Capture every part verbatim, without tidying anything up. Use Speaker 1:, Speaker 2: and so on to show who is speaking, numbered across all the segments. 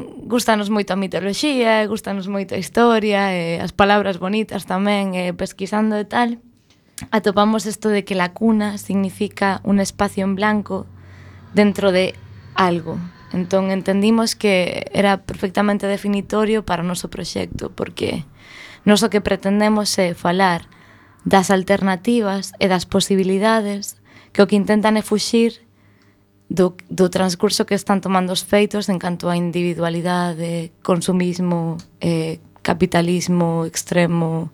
Speaker 1: tamén gustanos moito a mitoloxía, gustanos moito a historia, e as palabras bonitas tamén, e pesquisando e tal, atopamos isto de que la cuna significa un espacio en blanco dentro de algo. Entón entendimos que era perfectamente definitorio para o noso proxecto, porque nós o que pretendemos é falar das alternativas e das posibilidades que o que intentan é fuxir do, do transcurso que están tomando os feitos en canto a individualidade, consumismo, eh, capitalismo extremo,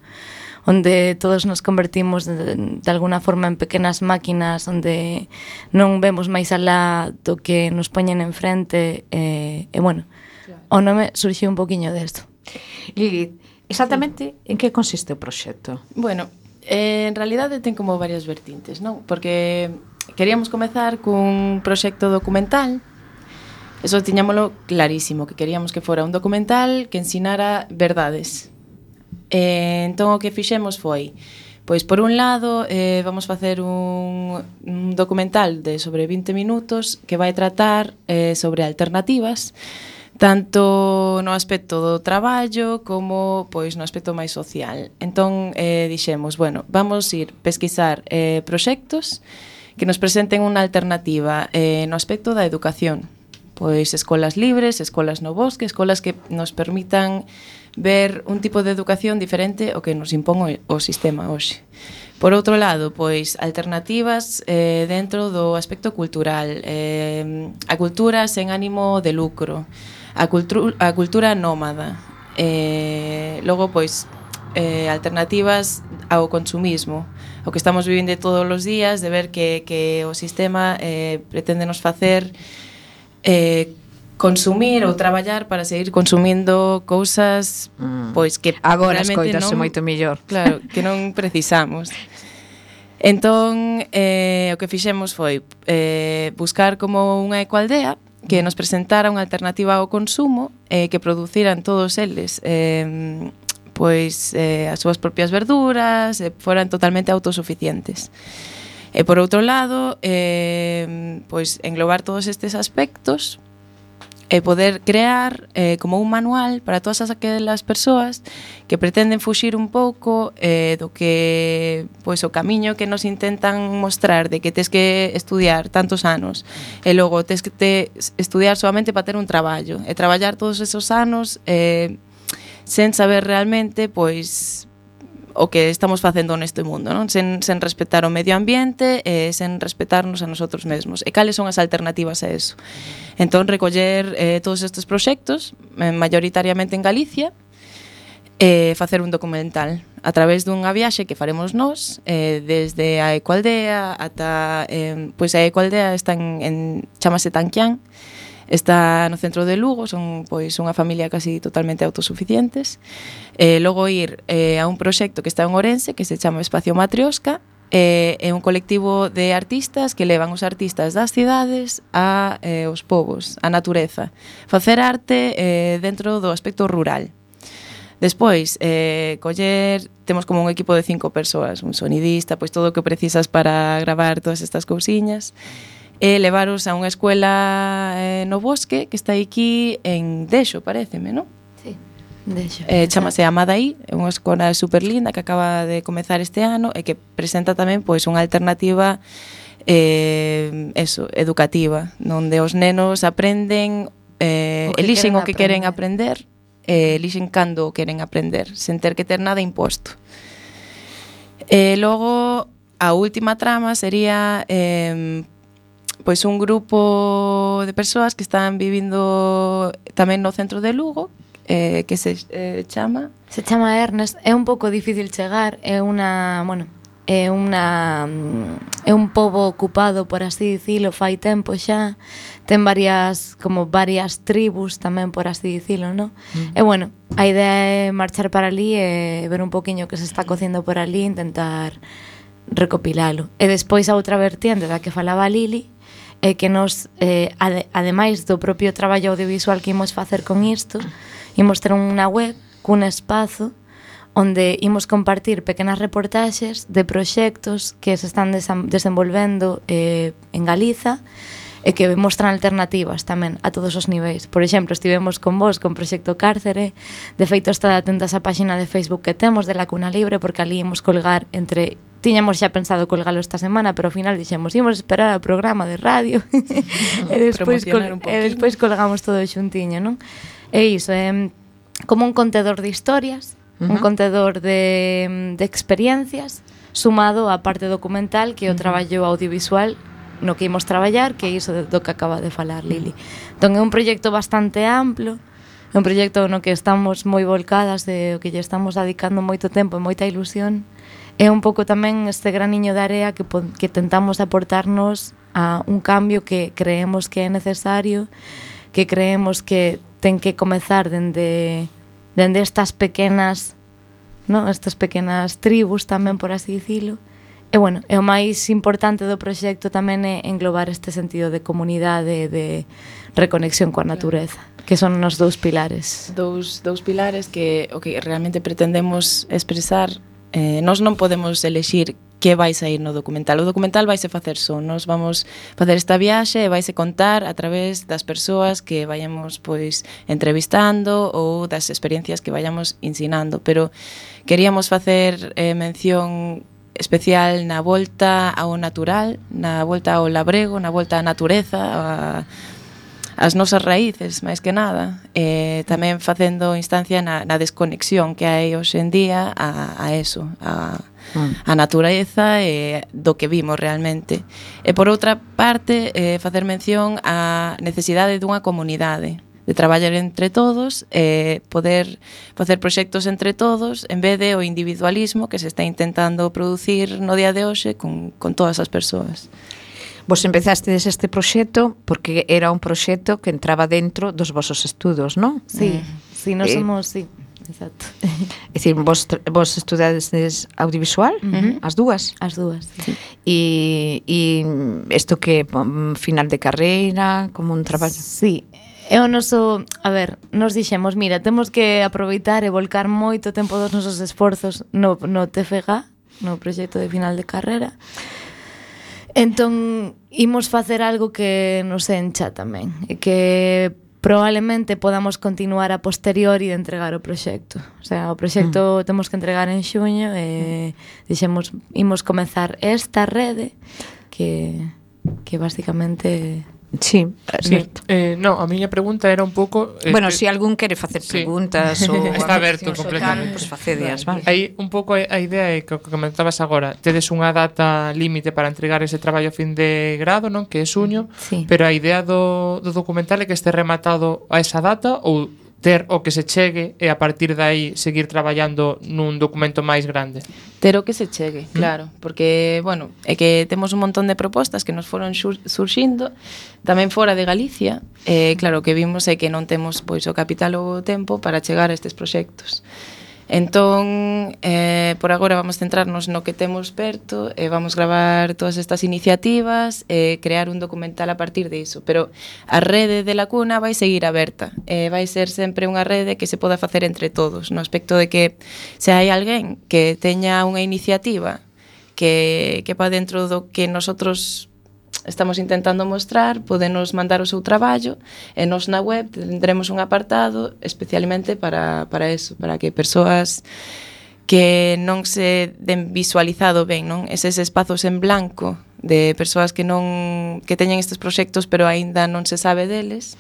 Speaker 1: onde todos nos convertimos de, de alguna forma en pequenas máquinas, onde non vemos máis alá do que nos poñen enfrente, e, e bueno, o nome surxiu un poquinho desto.
Speaker 2: Lilith, exactamente en que consiste o proxecto?
Speaker 3: Bueno, eh, en realidade ten como varias vertintes, non? Porque queríamos comezar cun proxecto documental. Eso tiñámolo clarísimo, que queríamos que fora un documental que ensinara verdades. Eh, entón o que fixemos foi, pois por un lado eh, vamos facer un, un documental de sobre vinte minutos que vai tratar eh, sobre alternativas, tanto no aspecto do traballo como pois no aspecto máis social. Entón eh, dixemos, bueno, vamos ir pesquisar eh, proxectos que nos presenten unha alternativa eh, no aspecto da educación. Pois escolas libres, escolas no bosque, escolas que nos permitan ver un tipo de educación diferente ao que nos impón o sistema hoxe. Por outro lado, pois alternativas eh, dentro do aspecto cultural, eh, a cultura sen ánimo de lucro, a, cultu a cultura nómada, eh, logo pois eh, alternativas ao consumismo, o que estamos vivindo todos os días, de ver que, que o sistema eh, pretende nos facer eh, consumir ou traballar para seguir consumindo cousas mm. pois que
Speaker 2: agora escoitase moito mellor.
Speaker 3: Claro, que non precisamos. Entón, eh, o que fixemos foi eh, buscar como unha ecoaldea que nos presentara unha alternativa ao consumo eh, que produciran todos eles eh, pois eh, as súas propias verduras, e foran totalmente autosuficientes. E por outro lado, eh, pois englobar todos estes aspectos e poder crear eh, como un manual para todas aquelas persoas que pretenden fuxir un pouco eh, do que pois o camiño que nos intentan mostrar de que tes que estudiar tantos anos e logo tes que te estudiar solamente para ter un traballo e traballar todos esos anos eh, sen saber realmente pois o que estamos facendo neste mundo, non? Sen, sen respetar o medio ambiente e sen respetarnos a nosotros mesmos. E cales son as alternativas a eso? Entón, recoller eh, todos estes proxectos, eh, mayoritariamente en Galicia, e facer un documental a través dunha viaxe que faremos nós, eh, desde a ecoaldea ata... Eh, pois a ecoaldea está en, en chamase Tanquián, está no centro de Lugo, son pois unha familia casi totalmente autosuficientes. Eh, logo ir eh, a un proxecto que está en Ourense, que se chama Espacio Matrioska, eh, é un colectivo de artistas que levan os artistas das cidades a eh, os povos, a natureza. Facer arte eh, dentro do aspecto rural. Despois, eh, coller, temos como un equipo de cinco persoas, un sonidista, pois todo o que precisas para gravar todas estas cousiñas, e levaros a unha escuela eh, no bosque que está aquí en Dexo, pareceme, non?
Speaker 1: Sí, Dexo.
Speaker 3: Eh, chamase Amadaí, é unha escola super linda que acaba de comezar este ano e que presenta tamén pois unha alternativa eh, eso, educativa, onde os nenos aprenden, eh, elixen o que queren aprender, eh, elixen cando o queren aprender, sen ter que ter nada imposto. E logo, a última trama sería... Eh, pois un grupo de persoas que están vivindo tamén no centro de Lugo, eh, que se eh, chama...
Speaker 1: Se chama Ernest, é un pouco difícil chegar, é unha, bueno, é unha é un pobo ocupado, por así dicilo, fai tempo xa, ten varias como varias tribus tamén, por así dicilo, ¿no? Mm. E bueno, a idea é marchar para ali e ver un poquinho que se está cocindo por ali, intentar recopilalo. E despois a outra vertiente da que falaba Lili, é que nos, eh, ade, ademais do propio traballo audiovisual que imos facer con isto, imos ter unha web cun espazo onde imos compartir pequenas reportaxes de proxectos que se están desenvolvendo eh, en Galiza e que mostran alternativas tamén a todos os niveis. Por exemplo, estivemos con vos con Proxecto Cárcere, de feito está atentas á páxina de Facebook que temos de La Cuna Libre, porque ali imos colgar entre... Tiñamos xa pensado colgalo esta semana, pero ao final dixemos, imos esperar ao programa de radio e despois, col e despois colgamos todo xuntiño, non? E iso, é como un contedor de historias, uh -huh. un contedor de, de experiencias, sumado á parte documental, que é o traballo audiovisual no que imos traballar, que é iso do que acaba de falar Lili. Entón é un proxecto bastante amplo, é un proxecto no que estamos moi volcadas, de o que lle estamos dedicando moito tempo e moita ilusión. É un pouco tamén este graniño de area que, que tentamos aportarnos a un cambio que creemos que é necesario, que creemos que ten que comezar dende, dende estas pequenas, no? estas pequenas tribus tamén, por así dicilo. E, bueno, é o máis importante do proxecto tamén é englobar este sentido de comunidade, de reconexión coa natureza, que son os dous pilares.
Speaker 3: Dous, dous pilares que o que realmente pretendemos expresar, eh, nós non podemos elexir que vai sair no documental. O documental vaise facer só, nós vamos facer esta viaxe e vaise contar a través das persoas que vayamos pois entrevistando ou das experiencias que vayamos ensinando, pero queríamos facer eh, mención especial na volta ao natural, na volta ao labrego, na volta á natureza, a, as nosas raíces, máis que nada, e tamén facendo instancia na, na desconexión que hai hoxe en día a, a eso, a, a natureza e do que vimos realmente. E por outra parte, eh, facer mención á necesidade dunha comunidade, de traballar entre todos e poder facer proxectos entre todos en vez de o individualismo que se está intentando producir no día de hoxe con, con todas as persoas.
Speaker 2: Vos empezastes este proxecto porque era un proxecto que entraba dentro dos vosos estudos, non?
Speaker 1: Sí, mm. sí, nós
Speaker 2: eh,
Speaker 1: somos, sí, exacto.
Speaker 2: É dicir, vos, vos estudades audiovisual, uh -huh. as dúas?
Speaker 1: As dúas, sí.
Speaker 2: E, e isto que final de carreira, como un traballo?
Speaker 1: Sí, é o noso, a ver, nos dixemos, mira, temos que aproveitar e volcar moito tempo dos nosos esforzos no, no T F G, no proxecto de final de carreira. Entón, imos facer algo que nos encha tamén, e que probablemente podamos continuar a posteriori de entregar o proxecto. O sea, o proxecto mm. temos que entregar en xuño e dixemos, imos comezar esta rede que, que basicamente...
Speaker 2: Sí,
Speaker 4: sí. Eh, no, a miña pregunta era un pouco
Speaker 2: eh, bueno, se si algún quere facer sí. preguntas ou
Speaker 4: está aberto completamente,
Speaker 2: pois pues facedias, vale.
Speaker 4: Aí un pouco a idea é que o que comentabas agora, tedes unha data límite para entregar ese traballo a fin de grado, non? Que é xuño,
Speaker 1: sí.
Speaker 4: Pero a idea do, do documental é que este rematado a esa data ou ter o que se chegue e a partir de aí seguir traballando nun documento máis grande.
Speaker 3: Ter o que se chegue, claro, porque, bueno, é que temos un montón de propostas que nos foron surxindo tamén fora de Galicia, e claro, o que vimos é que non temos pois o capital ou o tempo para chegar a estes proxectos. Entón, eh, por agora vamos centrarnos no que temos perto e vamos gravar todas estas iniciativas e crear un documental a partir diso, pero a rede de La Cuna vai seguir aberta e vai ser sempre unha rede que se poda facer entre todos, no aspecto de que se hai alguén que teña unha iniciativa que, que pa dentro do que nosotros estamos intentando mostrar, podenos mandar o seu traballo e nos na web tendremos un apartado especialmente para, para eso, para que persoas que non se den visualizado ben, non? Eses espazos en blanco de persoas que non que teñen estes proxectos pero aínda non se sabe deles,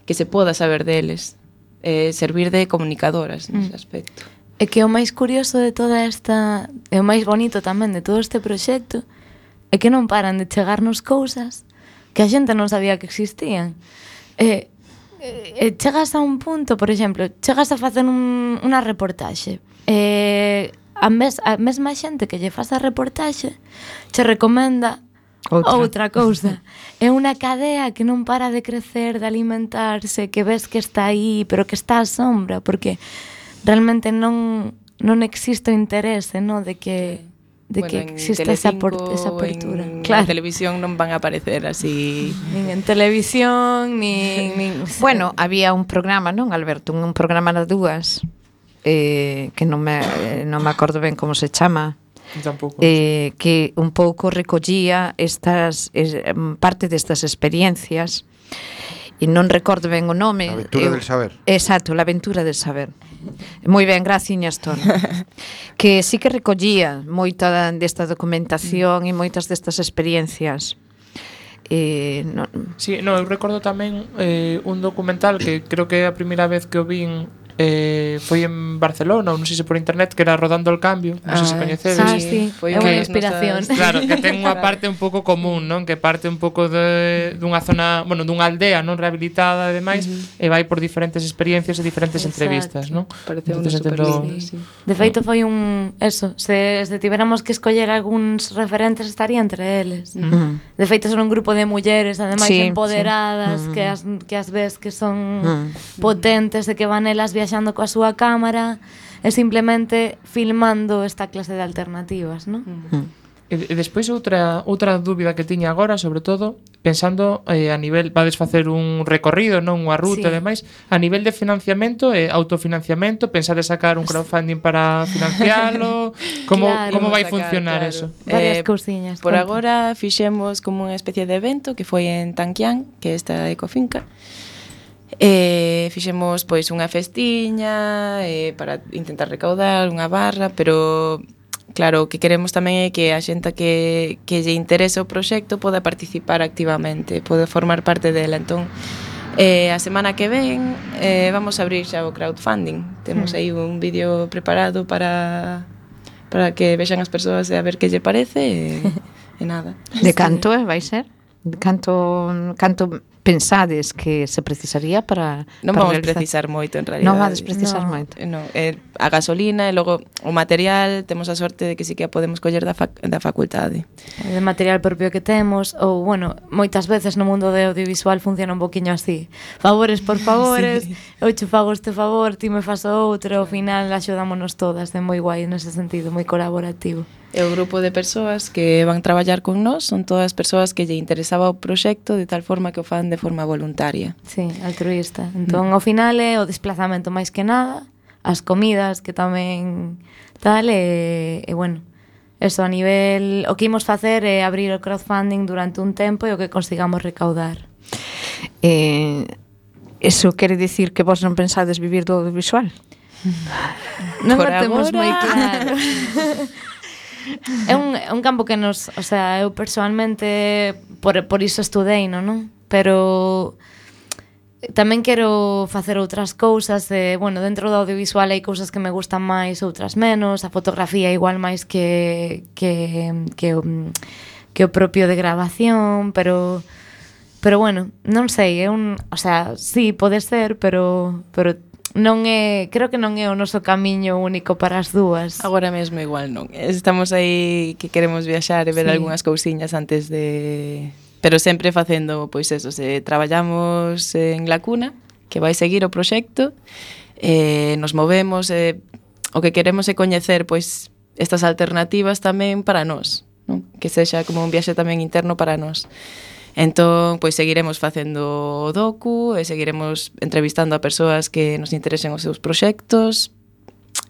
Speaker 3: que se poda saber deles, eh, servir de comunicadoras nese aspecto.
Speaker 1: É que o máis curioso de toda esta, e o máis bonito tamén de todo este proxecto é que non paran de chegarnos cousas que a xente non sabía que existían. E, e chegas a un punto, por exemplo, chegas a facer un, unha reportaxe e a, mes, a mesma xente que lle faz a reportaxe che recomenda outra, outra cousa. É unha cadea que non para de crecer, de alimentarse, que ves que está aí, pero que está á sombra, porque realmente non, non existe o interese, no, de que... de bueno, que existe esa, por, esa apertura.
Speaker 3: En claro. televisión non van a aparecer así.
Speaker 1: Nin en televisión, nin... nin
Speaker 2: bueno, había un programa, non, Alberto? Un, un programa nas dúas, eh, que non me, non me acordo ben como se chama,
Speaker 4: Tampouco.
Speaker 2: eh, que un pouco recollía estas eh, parte destas experiencias e non recordo ben o nome.
Speaker 5: A aventura del saber.
Speaker 2: Exacto, la aventura del saber. Moi ben, graciñas, Ton. Que sí que recollía moita desta documentación e moitas destas experiencias. Eh, non,
Speaker 4: Sí, no, eu recordo tamén eh, un documental que creo que é a primeira vez que o vin eh, foi en Barcelona, ou non sei se por internet, que era Rodando el Cambio, non sei se
Speaker 3: Ah,
Speaker 4: coñecedes.
Speaker 1: Ah, sí,
Speaker 3: foi
Speaker 1: é
Speaker 3: unha
Speaker 1: unha
Speaker 3: das
Speaker 1: inspiración.
Speaker 3: nosas-
Speaker 4: Claro, que ten unha parte un pouco común, non? Que parte un pouco de dunha zona, bueno, dunha aldea non rehabilitada e demais, uh-huh. e vai por diferentes experiencias e diferentes
Speaker 1: Exacto.
Speaker 4: entrevistas, non?
Speaker 3: Parece
Speaker 4: Entonces,
Speaker 3: super
Speaker 4: entendo-
Speaker 3: lindo, sí.
Speaker 1: De feito foi un... Eso, se, se tivéramos que escoller algúns referentes estaría entre eles.
Speaker 2: Mm.
Speaker 1: De feito son un grupo de mulleres, ademais
Speaker 2: Sí,
Speaker 1: empoderadas,
Speaker 2: sí.
Speaker 1: que, as, que as ves que son
Speaker 2: Mm.
Speaker 1: potentes, de que van elas viaxando coa súa cámara e simplemente filmando esta clase de alternativas, non?
Speaker 4: E, e despois outra outra dúbida que tiña agora, sobre todo, pensando eh, a nivel, vades facer un recorrido, non unha ruta
Speaker 1: Sí.
Speaker 4: e demais, a nivel de financiamento e autofinanciamento, pensades sacar un crowdfunding para financialo, como
Speaker 1: Claro.
Speaker 4: como vai
Speaker 3: Sacar,
Speaker 4: funcionar
Speaker 3: claro.
Speaker 4: eso?
Speaker 1: Varias
Speaker 3: Eh,
Speaker 1: cousiñas.
Speaker 3: Por
Speaker 1: conta.
Speaker 3: agora fixemos como unha especie de evento que foi en Tanquián, que é esta ecofinca. E fixemos pois unha festiña eh, para intentar recaudar unha barra, pero claro, o que queremos tamén é que a xente que, que lle interese o proxecto poda participar activamente, pode formar parte dela. Entón, eh, a semana que ven eh, vamos a abrir xa o crowdfunding. Temos aí un vídeo preparado para para que vexan as persoas e a ver que lle parece e, e nada.
Speaker 2: De canto, eh, vai ser? De canto, canto pensades que se precisaría para
Speaker 3: Non
Speaker 2: para
Speaker 3: vamos
Speaker 2: realizar?
Speaker 3: precisar moito en realidad.
Speaker 2: Non vades precisar
Speaker 1: No.
Speaker 2: moito.
Speaker 3: Eh, No, eh, a gasolina e logo o material temos a sorte de que sí que a podemos coller da, fac da facultade.
Speaker 1: De material propio que temos, ou, bueno, moitas veces no mundo de audiovisual funciona un poquinho así. Favores por favores, sí. Eu che fago este favor, ti me fas o outro, ao final axudámonos todas, é moi guai nese sentido, moi colaborativo.
Speaker 3: E o grupo de persoas que van traballar con nós son todas persoas que lle interesaba o proxecto de tal forma que o fan de forma voluntaria.
Speaker 1: Sí, altruista. Entón, ao final é o desplazamento máis que nada, as comidas que tamén tal, e, e bueno, eso a nivel... O que imos facer é abrir o crowdfunding durante un tempo e o que consigamos recaudar.
Speaker 2: Eh, eso quere dicir que vos non pensades vivir do audiovisual?
Speaker 1: Non
Speaker 3: Por
Speaker 1: o temos
Speaker 3: agora.
Speaker 1: moi claro. É un, é un campo que nos... O sea, eu personalmente por, por iso estudei, non? non? Pero tamén quero facer outras cousas e, bueno, dentro do audiovisual hai cousas que me gustan máis, outras menos, a fotografía igual máis que que que o, que o propio de grabación, pero pero bueno, non sei, é un, o sea, sí, pode ser, pero pero non é, creo que non é o noso camiño único para as dúas.
Speaker 3: Agora mesmo igual non. Estamos aí que queremos viaxar e ver
Speaker 1: Sí.
Speaker 3: algunhas cousiñas antes de... Pero sempre facendo, pois eso, se traballamos en La Cuna, que vai seguir o proxecto, eh, nos movemos, eh, o que queremos é coñecer, pois, estas alternativas tamén para nós, non? Que sexa como un viaxe tamén interno para nós. Entón, pois seguiremos facendo o docu e seguiremos entrevistando a persoas que nos interesen os seus proxectos.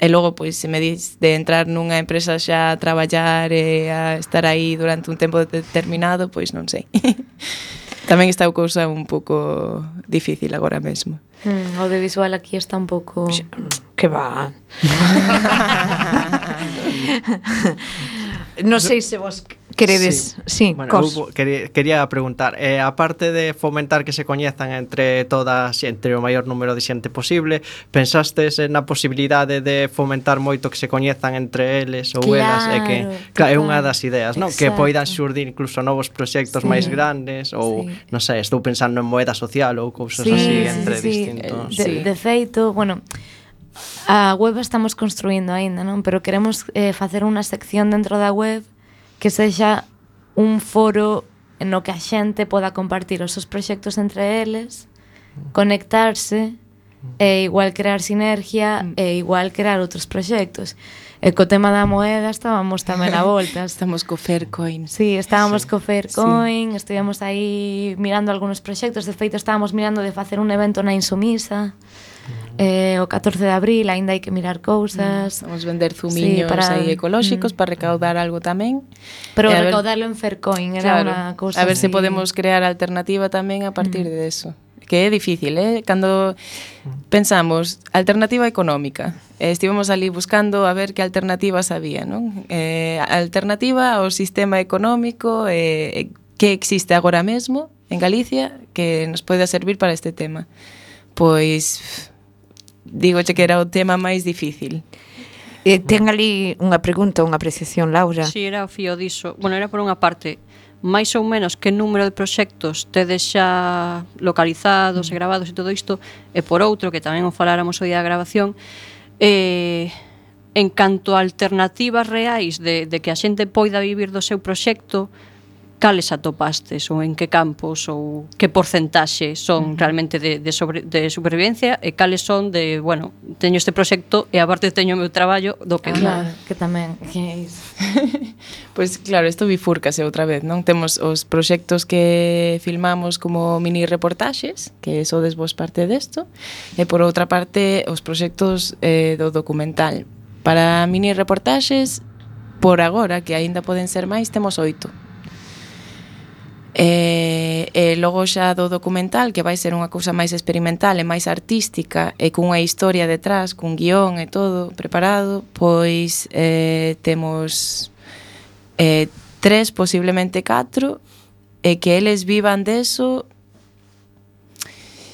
Speaker 3: E logo, pois, se me dis de entrar nunha empresa xa a traballar e a estar aí durante un tempo determinado, pois non sei. Tamén está a cousa un pouco difícil agora mesmo.
Speaker 1: Mm, o audiovisual aquí está un pouco...
Speaker 2: Que va. Non sei se vos queredes, sí, sí
Speaker 6: Bueno,
Speaker 2: cos.
Speaker 6: eu quería, quería preguntar, eh, aparte de fomentar que se coñezan entre todas, entre o maior número de xente posible, pensastes na posibilidade de fomentar moito que se coñezan entre eles ou elas, e que
Speaker 1: Claro,
Speaker 6: claro, é
Speaker 1: total.
Speaker 6: unha das ideas, non? Que
Speaker 1: Exacto.
Speaker 6: poidan xurdir incluso novos proxectos
Speaker 1: Sí.
Speaker 6: máis grandes ou,
Speaker 1: Sí.
Speaker 6: non sei, estou pensando en moeda social ou cousas
Speaker 1: Sí,
Speaker 6: así
Speaker 1: sí,
Speaker 6: entre
Speaker 1: sí,
Speaker 6: distintos.
Speaker 1: De,
Speaker 3: Sí.
Speaker 1: de feito, bueno, a web estamos construindo aínda, non? Pero queremos eh, facer unha sección dentro da web que sexa un foro no que a xente poda compartir os seus proxectos entre eles, conectarse e igual crear sinergia e igual crear outros proxectos. E co tema da moeda estábamos tamén a voltas.
Speaker 3: Estamos co Faircoin.
Speaker 1: Sí, estábamos sí. co Faircoin, sí. Estivemos aí mirando algúns proxectos, de feito estábamos mirando de facer un evento na Insumisa, eh, o catorce de abril aínda hai que mirar cousas.
Speaker 3: Vamos vender zumiños
Speaker 1: Sí, para-
Speaker 3: aí ecolóxicos
Speaker 1: Mm.
Speaker 3: para recaudar algo tamén.
Speaker 1: Pero
Speaker 3: E a ver-
Speaker 1: recaudarlo en Faircoin era
Speaker 3: Claro,
Speaker 1: unha cousa
Speaker 3: a ver se
Speaker 1: así.
Speaker 3: podemos crear alternativa tamén a partir de eso. Que é difícil, eh? Cando pensamos alternativa económica, eh, estivemos ali buscando a ver que alternativas había, non? Eh, alternativa ao sistema económico eh, que existe agora mesmo en Galicia que nos pode servir para este tema. Pois digoche que era o tema máis difícil.
Speaker 2: Eh, ten ali unha pregunta, unha apreciación, Laura.
Speaker 5: Si, era o fío diso. Bueno, era por unha parte, máis ou menos que número de proxectos tedes xa localizados e gravados e todo isto, e por outro, que tamén o faláramos o día da grabación, eh, en canto a alternativas reais de, de que a xente poida vivir do seu proxecto, cales atopastes ou en que campos ou que porcentaxe son realmente de, de, sobre, de supervivencia e cales son de, bueno, teño este proxecto e aparte teño o meu traballo do que
Speaker 1: Claro, que tamén que é iso.
Speaker 3: Pois claro, isto bifúrcase outra vez, non? Temos os proxectos que filmamos como mini reportaxes, que sodes vos parte desto, e por outra parte os proxectos eh, do documental. Para mini reportaxes, por agora, que aínda poden ser máis, temos oito. E, e logo xa do documental, que vai ser unha cousa máis experimental e máis artística e cunha historia detrás, cun guión e todo preparado, pois eh, temos eh, tres, posiblemente catro, e que eles vivan deso.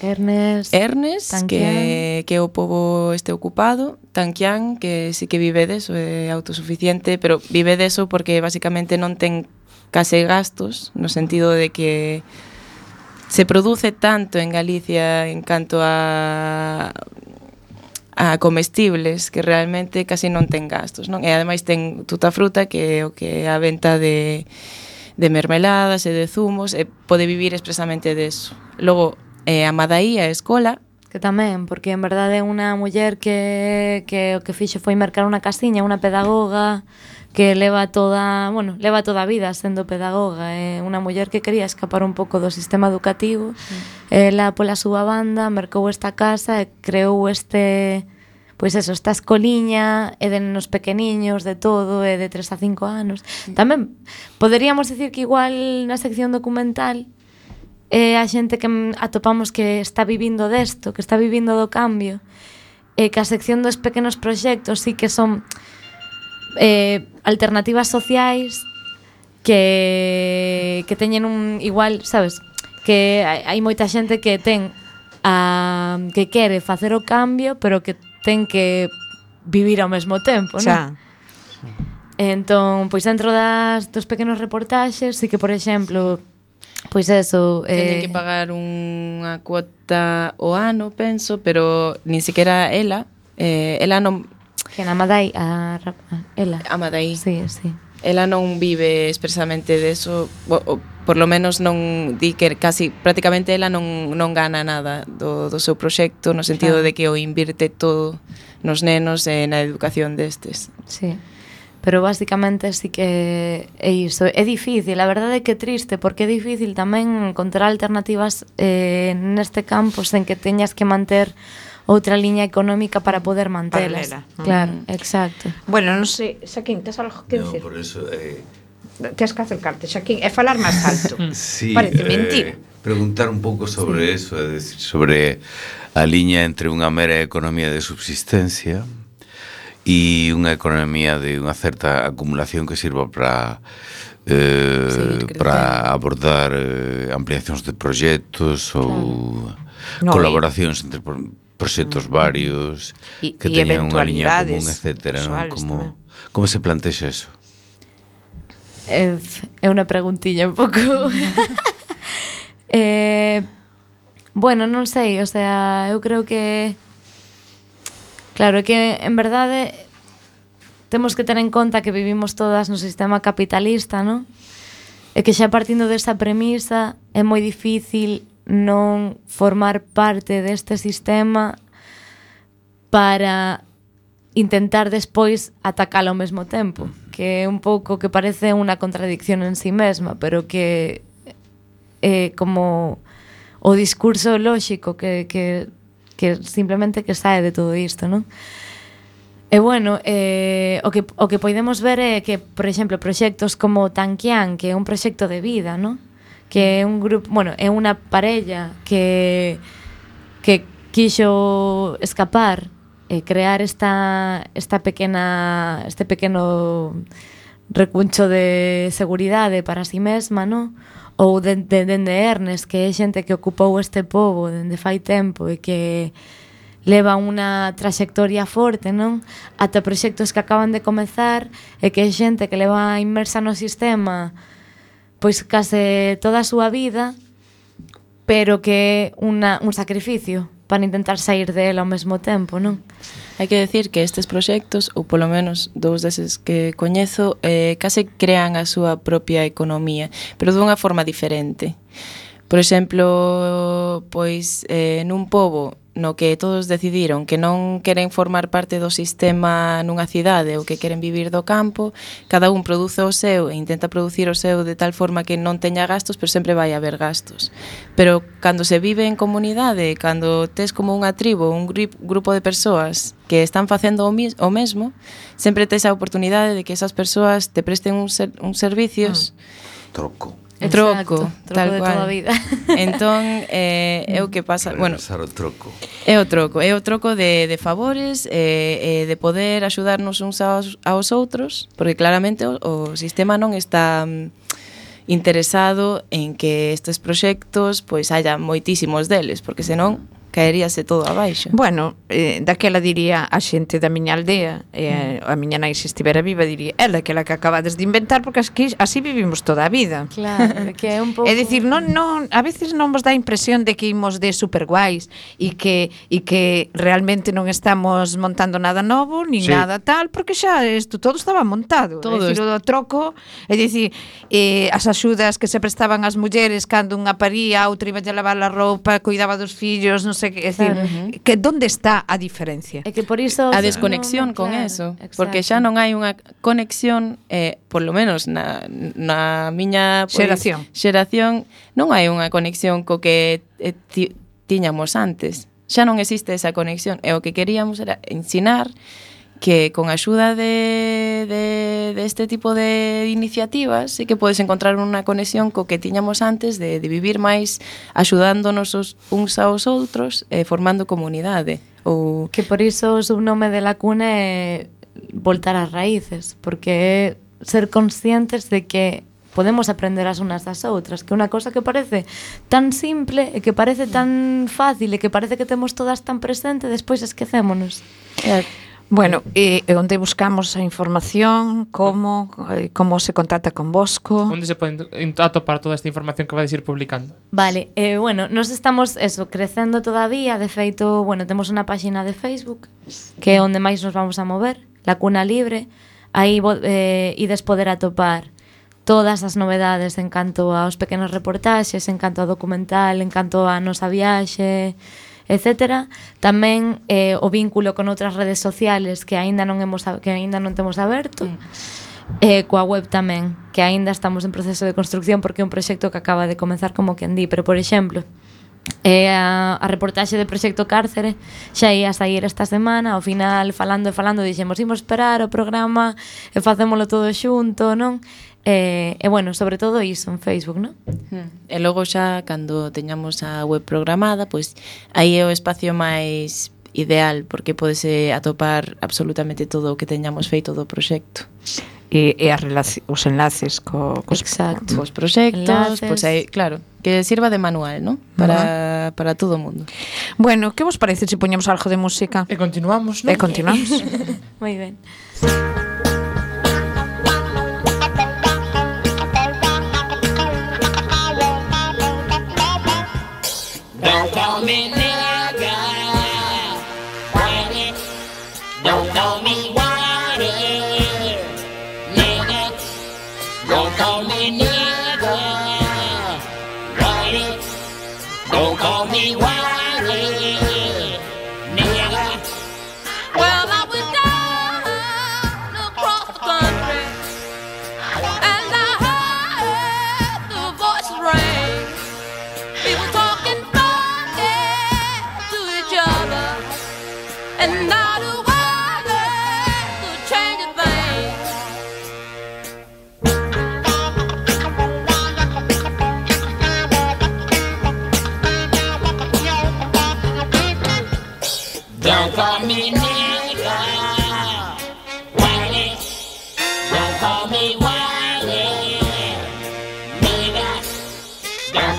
Speaker 1: Ernest,
Speaker 3: Ernest,
Speaker 1: Tanquián.
Speaker 3: que, que o pobo este ocupado, Tanquián, que sí que vive deso, é autosuficiente, pero vive deso porque basicamente non ten case gastos, no sentido de que se produce tanto en Galicia en canto a a comestibles que realmente casi non ten gastos, non? E ademais ten tuta fruta que é o que é a venta de, de mermeladas e de zumos e pode vivir expresamente deso. Logo, eh, a Madaí, a escola,
Speaker 1: que tamén, porque en verdade é unha muller que, que o que fixo foi mercar unha casiña, unha pedagoga que leva toda, bueno, leva toda a vida sendo pedagoga, é unha muller que quería escapar un pouco do sistema educativo. Mm. Ela pola súa banda mercou esta casa e creou este, pois eso, esta escoliña e de nenos pequeniños, de todo, e de tres a cinco anos. Mm. Tamén poderíamos decir que igual na sección documental é a xente que atopamos que está vivindo desto, que está vivindo do cambio, e que a sección dos pequenos proxectos sí que son eh, alternativas sociais que, que teñen un igual, sabes, que hai, hai moita xente que ten a, que quere facer o cambio, pero que ten que vivir ao mesmo tempo,
Speaker 2: Xa.
Speaker 1: non? Entón, pois dentro das dos pequenos reportaxes, sí que, por exemplo, pois eso,
Speaker 3: teñen
Speaker 1: eh,
Speaker 3: que pagar unha cuota o ano, penso, pero nin sequera ela, eh, ela non,
Speaker 1: que na Madai a, a ela.
Speaker 3: a Madaí,
Speaker 1: Sí, sí.
Speaker 3: ela non vive expresamente deso, o, o, por lo menos non di que casi prácticamente ela non, non gana nada do, do seu proxecto, no sentido
Speaker 1: Claro.
Speaker 3: de que o invirte todo nos nenos e na educación destes.
Speaker 1: Sí. Pero basicamente sí que é iso. É difícil, a verdade é que é triste, porque é difícil tamén encontrar alternativas eh, neste campo sen que teñas que manter outra liña económica para poder mantelas.
Speaker 2: Paralela, non?
Speaker 1: Claro, exacto.
Speaker 2: Bueno, non sei, Xaquín, tes algo que
Speaker 7: No,
Speaker 2: decir?
Speaker 7: por eso... Eh,
Speaker 2: Tes que acercarte, Xaquín, e falar máis alto.
Speaker 7: sí,
Speaker 2: Parece mentir.
Speaker 7: eh, preguntar un pouco sobre eso, é decir, sobre a liña entre unha mera economía de subsistencia e unha economía de unha certa acumulación que sirva para eh,
Speaker 3: Seguir crecendo.
Speaker 7: para abordar eh, ampliacións de proxectos ou
Speaker 2: No,
Speaker 7: colaboracións entre pro- proxectos varios
Speaker 2: E-
Speaker 7: que
Speaker 2: e
Speaker 7: teñan unha liña común,
Speaker 2: eventualidades
Speaker 7: etcétera, non?
Speaker 2: persoales
Speaker 7: Como,
Speaker 2: tamén.
Speaker 7: como se plantexa eso?
Speaker 1: É, é unha preguntilla un pouco. eh, bueno, non sei, o sea, eu creo que claro, é que en verdade temos que ter en conta que vivimos todas no sistema capitalista, non? E que xa partindo desa premisa é moi difícil non formar parte deste sistema para intentar despois atacalo ao mesmo tempo, que é un pouco que parece unha contradicción en sí mesma, pero que é como o discurso lóxico que, que, que simplemente que sae de todo isto, non? E bueno, eh, o, que, o que podemos ver é que, por exemplo, proxectos como Tanquián, que é un proxecto de vida, non? Que é un grupo, bueno, é unha parella que que quixo escapar e crear esta esta pequena este pequeno recuncho de seguridade para si mesma, non? Ou dende de, de, de Ernest, que é xente que ocupou este pobo dende fai tempo e que leva unha traxectoria forte, non? Ata proxectos que acaban de comezar e que é xente que leva inmersa no sistema pois case toda a súa vida, pero que é unha, un sacrificio para intentar sair de él ao mesmo tempo, non?
Speaker 3: Hai que decir que estes proxectos, ou polo menos dous deses que coñezo, eh, case crean a súa propia economía, pero dunha forma diferente. Por exemplo, pois eh, nun pobo no que todos decidiron que non queren formar parte do sistema nunha cidade ou que queren vivir do campo, cada un produce o seu e intenta producir o seu de tal forma que non teña gastos, pero sempre vai haber gastos. Pero cando se vive en comunidade, cando tes como unha tribo, un grupo de persoas que están facendo o, mis, o mesmo, sempre tes a oportunidade de que esas persoas te presten uns ser, un servicios
Speaker 7: mm. troco.
Speaker 3: Troco,
Speaker 1: Exacto,
Speaker 3: tal
Speaker 1: troco de
Speaker 3: cual.
Speaker 1: toda a vida.
Speaker 3: Entón, eh, é o que pasa, bueno,
Speaker 7: o troco.
Speaker 3: É o troco, é o troco de, de favores, eh, eh, de poder axudarnos uns aos, aos outros, porque claramente o, o sistema non está um, interesado en que estes proxectos pois haya moitísimos deles, porque senón caeríase todo abaixo.
Speaker 2: Bueno, eh, daquela diría a xente da miña aldea, eh, a miña nai se estivera viva diría, ela que la que acabades de inventar, porque así, así vivimos toda a vida.
Speaker 1: Claro, que é un pouco...
Speaker 2: É dicir, non, non, a veces non vos dá a impresión de que imos de super guais e que, e que realmente non estamos montando nada novo, ni
Speaker 7: Sí.
Speaker 2: nada tal, porque xa isto todo estaba montado.
Speaker 3: Todo
Speaker 2: É dicir, o do troco, é dicir, eh, as axudas que se prestaban ás mulleres cando unha paría, a outra iba a lavar a roupa, cuidaba dos fillos, non sei que, é dicir,
Speaker 1: Claro.
Speaker 2: que donde está a diferencia?
Speaker 1: É que por iso...
Speaker 3: A desconexión
Speaker 1: no,
Speaker 3: con
Speaker 1: claro,
Speaker 3: eso,
Speaker 1: exacto.
Speaker 3: porque xa non hai unha conexión, eh, por lo menos na, na miña pois,
Speaker 2: Xeración.
Speaker 3: xeración, non hai unha conexión co que eh, ti, tiñamos antes. Xa non existe esa conexión, e o que queríamos era ensinar que con a axuda de, de, de este tipo de iniciativas sí que podes encontrar unha conexión co que tiñamos antes de, de vivir máis axudándonos os, uns aos outros e eh, formando comunidade. Ou...
Speaker 1: Que por iso o subnome de la cuna é voltar ás raíces, porque é ser conscientes de que podemos aprender as unas das outras, que unha cosa que parece tan simple e que parece tan fácil e que parece que temos todas tan presente, despois esquecémonos.
Speaker 3: Eh,
Speaker 2: Bueno, e eh, onde buscamos a información, como eh, como se contacta con Bosco?
Speaker 4: Onde se pode atopar toda esta información que vais ir publicando?
Speaker 1: Vale, eh, bueno, nos estamos eso, crecendo todavía, de feito, bueno, temos unha páxina de Facebook que é onde máis nos vamos a mover, La Cuna Libre, aí eh, ides poder atopar todas as novedades en canto aos pequenos reportaxes, en canto ao documental, en canto á nosa viaxe, etcétera. Tamén eh, o vínculo con outras redes sociales que aínda non hemos que aínda non temos aberto. Mm. Eh, coa web tamén, que aínda estamos en proceso de construcción porque é un proxecto que acaba de comezar como quen di, pero por exemplo, eh, a, a reportaxe do proxecto Cárcere xa ia a sair esta semana, ao final falando e falando dixemos, imos esperar o programa e facémolo todo xunto, non? E, e bueno, sobre todo iso en Facebook, non?
Speaker 3: E logo xa, cando teñamos a web programada, pois aí é o espacio máis ideal, porque podese atopar absolutamente todo o que teñamos feito do proxecto.
Speaker 2: E, e as relaci- os enlaces co, cos,
Speaker 1: Exacto.
Speaker 3: Os proxectos,
Speaker 1: Enlaces.
Speaker 3: pois aí, claro, que sirva de manual, ¿no? Para, uh-huh. para todo o mundo.
Speaker 2: Bueno, que vos parece se poñemos algo de música?
Speaker 4: E continuamos, non?
Speaker 2: E continuamos.
Speaker 1: Moi ben.
Speaker 8: Don't call me nigga, whiny. Don't call me whiny, nigga. Don't call me nigga, whiny. Don't call me whiny, nigga.
Speaker 9: Well, I was down across the country, and I heard the voices ring. People talking funny to each other.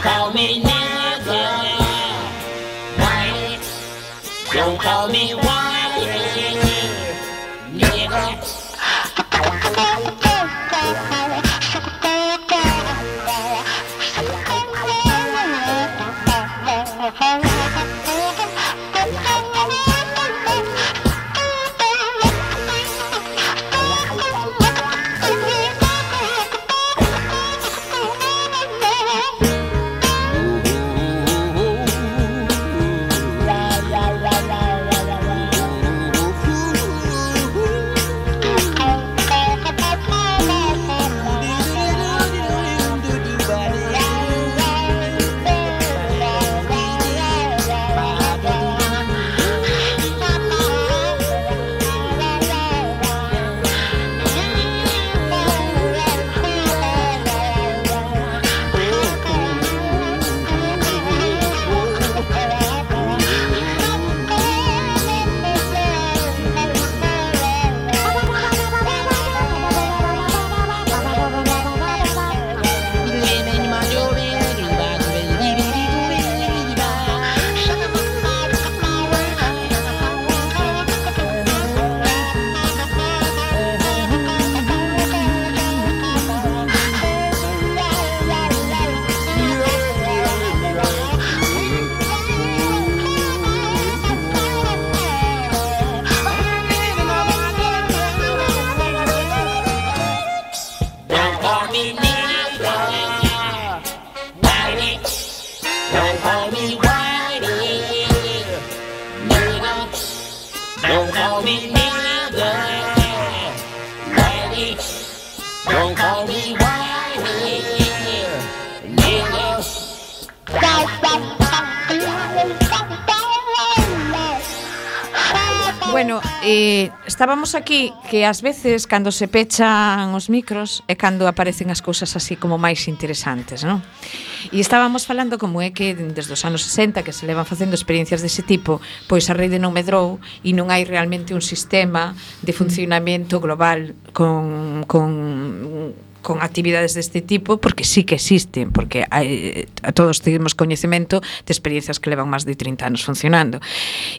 Speaker 8: call me nigga. Whitey. Don't call me Whitey. Nigga. Don't call me nigga, Whitey. Don't call me Whitey, nigga.
Speaker 2: Bueno, eh, estábamos aquí que ás veces cando se pechan os micros é cando aparecen as cousas así como máis interesantes, non? E estábamos falando como é que desde os anos sesenta que se levan facendo experiencias dese tipo, pois a rede non medrou e non hai realmente un sistema de funcionamento global con, con con actividades deste tipo, porque sí que existen, porque hai, a todos temos coñecemento de experiencias que levan máis de trinta anos funcionando.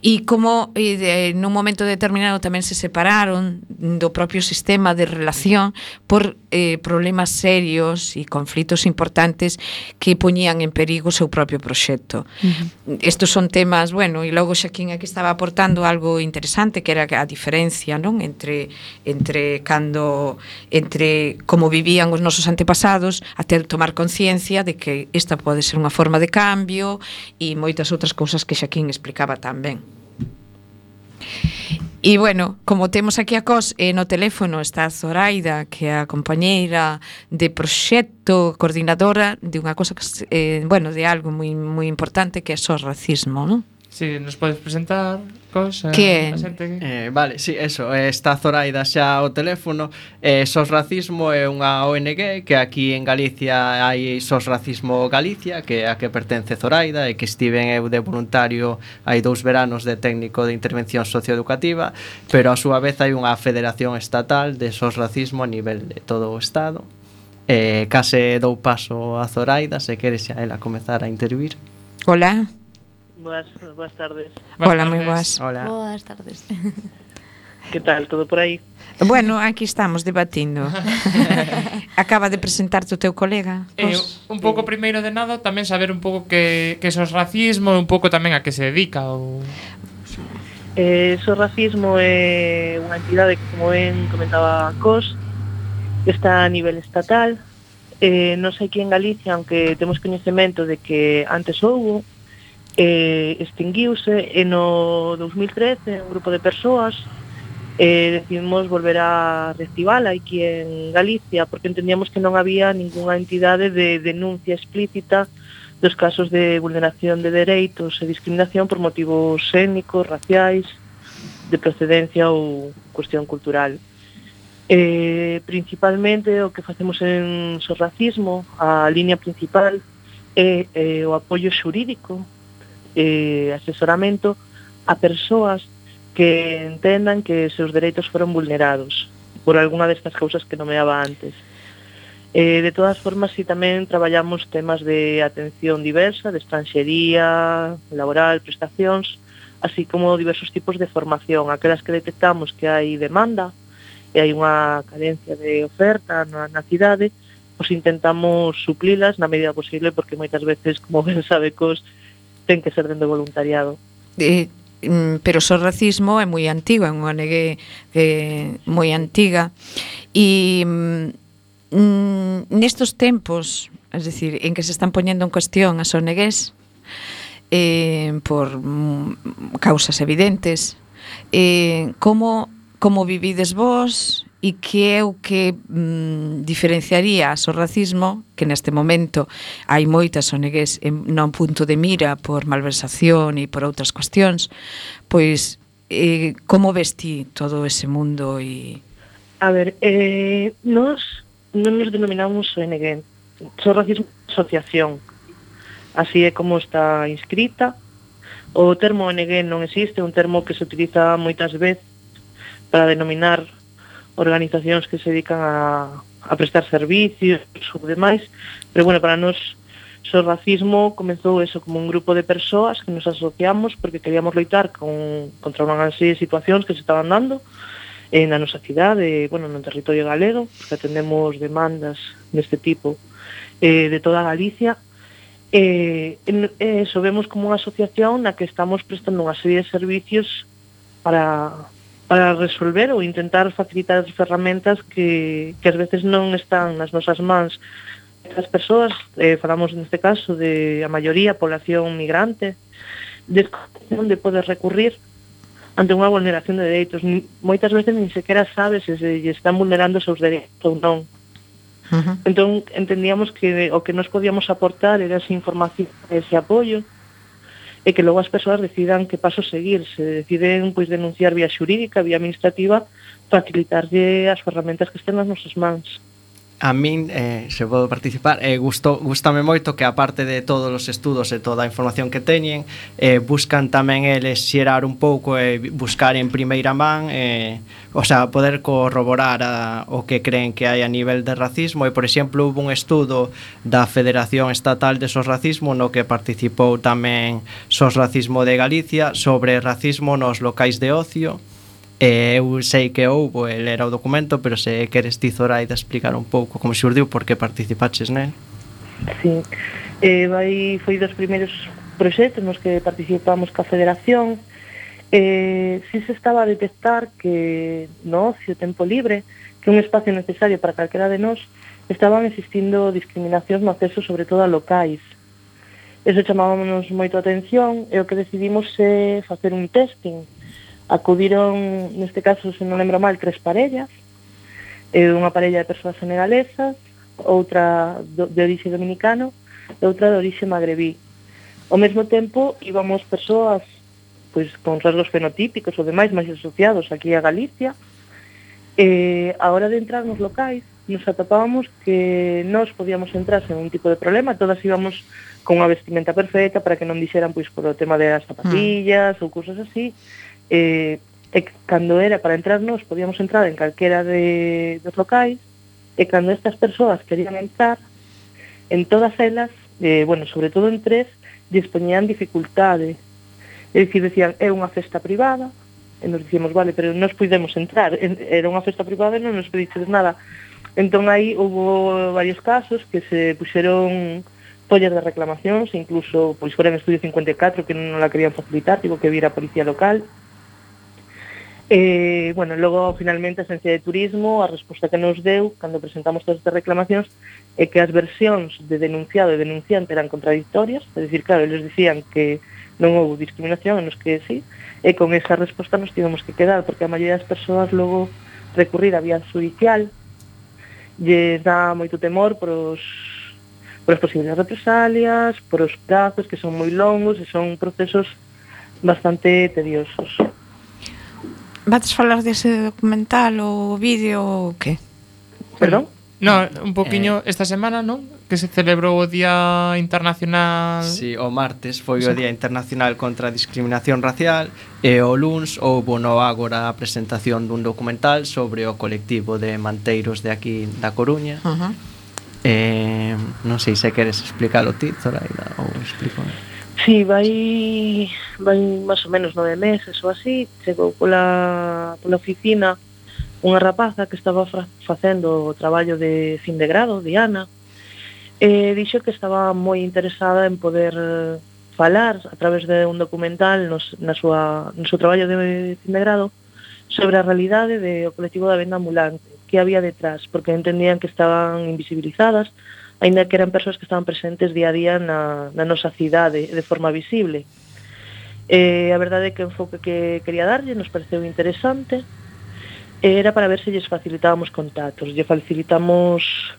Speaker 2: E como e de, nun momento determinado tamén se separaron do propio sistema de relación por eh, problemas serios e conflitos importantes que poñían en perigo o seu propio proxecto. Uh-huh. Estos son temas, bueno, e logo Xaquín aquí estaba aportando algo interesante, que era a diferencia, non, entre entre cando entre como vivían os nosos antepasados até tomar conciencia de que esta pode ser unha forma de cambio e moitas outras cousas que Xaquín explicaba tamén. E bueno, como temos aquí a Cos e no teléfono está Zoraida, que é a compañeira de proxecto, coordinadora de unha cosa que, eh, bueno, de algo moi moi importante que é o racismo, non?
Speaker 4: Si, sí, nos podes presentar cosa.
Speaker 2: Que
Speaker 6: eh, vale, si, sí, eso, está Zoraida xa ao teléfono. eh, Sos Racismo é unha O N G que aquí en Galicia hai Sos Racismo Galicia, que é a que pertence Zoraida, e que estiven eu de voluntario hai dous veranos de técnico de intervención socioeducativa, pero a súa vez hai unha federación estatal de Sos Racismo a nivel de todo o estado. eh, Case dou paso a Zoraida, se queres xa ela comezar a intervir.
Speaker 2: Hola.
Speaker 10: Boas, boas tardes.
Speaker 2: Hola, moi boas.
Speaker 6: Hola.
Speaker 1: Boas tardes.
Speaker 10: Que tal, todo por aí?
Speaker 2: Bueno, aquí estamos debatindo. Acaba de presentarte o teu colega.
Speaker 4: Eh, un pouco primeiro de nada tamén saber un pouco que, que sos racismo, un pouco tamén a que se dedica ou...
Speaker 10: Eh, Sos Racismo é unha entidade que, como ben comentaba Cos, está a nivel estatal. Eh, non sei aquí en Galicia, aunque temos coñecemento de que antes houbo, eh, extinguiuse, e no dos mil trece un grupo de persoas eh, decidimos volver a reactivala aquí en Galicia, porque entendíamos que non había ningunha entidade de denuncia explícita dos casos de vulneración de dereitos e discriminación por motivos étnicos, raciais, de procedencia ou cuestión cultural. Eh, principalmente o que facemos en Sos Racismo, a línea principal é eh, o apoio xurídico, eh, asesoramento a persoas que entendan que seus dereitos foron vulnerados por algunha destas cousas que nomeaba antes. Eh, de todas formas, si tamén traballamos temas de atención diversa, de estranxería, laboral, prestacións, así como diversos tipos de formación, aquelas que detectamos que hai demanda e hai unha carencia de oferta na, na cidade, pois intentamos suplilas na medida posible, porque moitas veces, como ben sabe, cos ten que ser dende voluntariado.
Speaker 2: Eh, mm, pero o racismo é moi antigo, é unha O N G eh, moi antiga, e mm, nestos tempos, es decir, en que se están poñendo en cuestión as O N Gs eh, por mm, causas evidentes, eh, como, como vivides vos e que é o que mm, diferenciaría o racismo, que neste momento hai moitas O N Gs en, non punto de mira por malversación e por outras cuestións, pois eh, como ves ti todo ese mundo? E
Speaker 10: A ver, eh, nos non nos denominamos O N G, So Racismo Asociación, así é como está inscrita. O termo O N G non existe, é un termo que se utiliza moitas veces para denominar organizacións que se dedican a, a prestar servicios ou demais, pero bueno, para nós So Racismo comezou eso como un grupo de persoas que nos asociamos porque queríamos loitar con, contra unhas situacións que se estaban dando eh, na nosa cidade, bueno, no territorio galego, que atendemos demandas deste tipo eh, de toda Galicia. Eh, en, eh, eso vemos como unha asociación na que estamos prestando unha serie de servicios para para resolver ou intentar facilitar as ferramentas que, que ás veces non están nas nosas mans. As persoas, eh, falamos neste caso de a maioría población migrante, de onde podes recurrir ante unha vulneración de dereitos. Moitas veces nin sequera sabes se se están vulnerando os seus dereitos ou non. Uh-huh. Entón, entendíamos que o que nos podíamos aportar era esa información, ese apoio, e que logo as persoas decidan que paso seguir. Se deciden pois denunciar vía xurídica, vía administrativa, facilitarlle as ferramentas que estén nas nosas mans.
Speaker 6: A min, eh, se podo participar, eh, gusto, gustame moito que aparte de todos os estudos e toda a información que teñen, eh, buscan tamén eles xerar un pouco e eh, buscar en primeira man, eh, o sea, poder corroborar a, o que creen que hai a nivel de racismo. E, por exemplo, hubo un estudo da Federación Estatal de Sos Racismo no que participou tamén Sos Racismo de Galicia sobre racismo nos locais de ocio. Eh, eu sei que houbo, el era o documento, pero se queres ti, Zoraida, explicar un pouco como xurdiu, por que participaches nel.
Speaker 10: Sí, eh, vai, foi dos primeiros proxectos nos que participamos ca Federación. Eh, si se estaba a detectar que no ocio, tempo libre, que un espacio necesario para calquera de nós, estaban existindo discriminacións no acceso, sobre todo a locais. Eso chamábamos moito a atención, e o que decidimos é facer un testing. Acudiron, neste caso, se non lembro mal, tres parellas, eh, unha parella de persoas senegalesas, outra do, de orixe dominicano e outra de orixe magrebí. Ao mesmo tempo, íbamos persoas pois, con rasgos fenotípicos ou demais máis asociados aquí a Galicia. E a hora de entrar nos locais, nos atopábamos que nós podíamos entrar sen un tipo de problema, todas íbamos con unha vestimenta perfecta para que non dixeran pois por o tema das zapatillas mm. ou cousas así. Eh, e cando era para entrarnos podíamos entrar en calquera de, dos locais, e cando estas persoas querían entrar en todas elas, eh, bueno, sobre todo en tres, dispoñían dificultade, é dicir, decían, é unha festa privada, e nos dicíamos, vale, pero nos podemos entrar, era unha festa privada e non nos pediches nada. Entón aí hubo varios casos que se puxeron follas de reclamacións, incluso pois fora en Estudio cincuenta e catro que non la querían facilitar, tivo que vir a policía local. Eh, bueno, logo, finalmente, a Agencia de Turismo, a resposta que nos deu, cando presentamos todas estas reclamacións, é que as versións de denunciado e denunciante eran contradictorias, é dicir, claro, eles dicían que non houve discriminación, en nos que sí, e con esa resposta nos tivemos que quedar, porque a maioría das persoas logo recurrir a vía judicial, lles dá moito temor por os, por as posibles represalias, por os prazos que son moi longos e son procesos bastante tediosos.
Speaker 2: Vades falar dese documental ou vídeo ou que?
Speaker 10: Perdón?
Speaker 4: No, un poquinho eh, esta semana, non? Que se celebrou o Día Internacional.
Speaker 6: Sí, o martes foi o Día Internacional contra a Discriminación Racial e o luns houbo no Ágora a presentación dun documental sobre o colectivo de manteiros de aquí da Coruña.
Speaker 2: Uh-huh.
Speaker 6: Eh, non sei se queres explicarlo ti, Zoraida, ou explico.
Speaker 10: Sí, vai vai máis ou menos nove meses ou así, chegou pola, pola oficina unha rapaza que estaba fra- facendo o traballo de fin de grado, Diana, e dixo que estaba moi interesada en poder eh, falar a través de un documental nos, na súa, no seu traballo de fin de grado sobre a realidade do colectivo da venda ambulante, que había detrás, porque entendían que estaban invisibilizadas, aínda que eran persoas que estaban presentes día a día na, na nosa cidade de forma visible. Eh, a verdade é que o enfoque que quería darlle nos pareceu interesante, e era para ver se lles facilitábamos contactos. Lle facilitamos,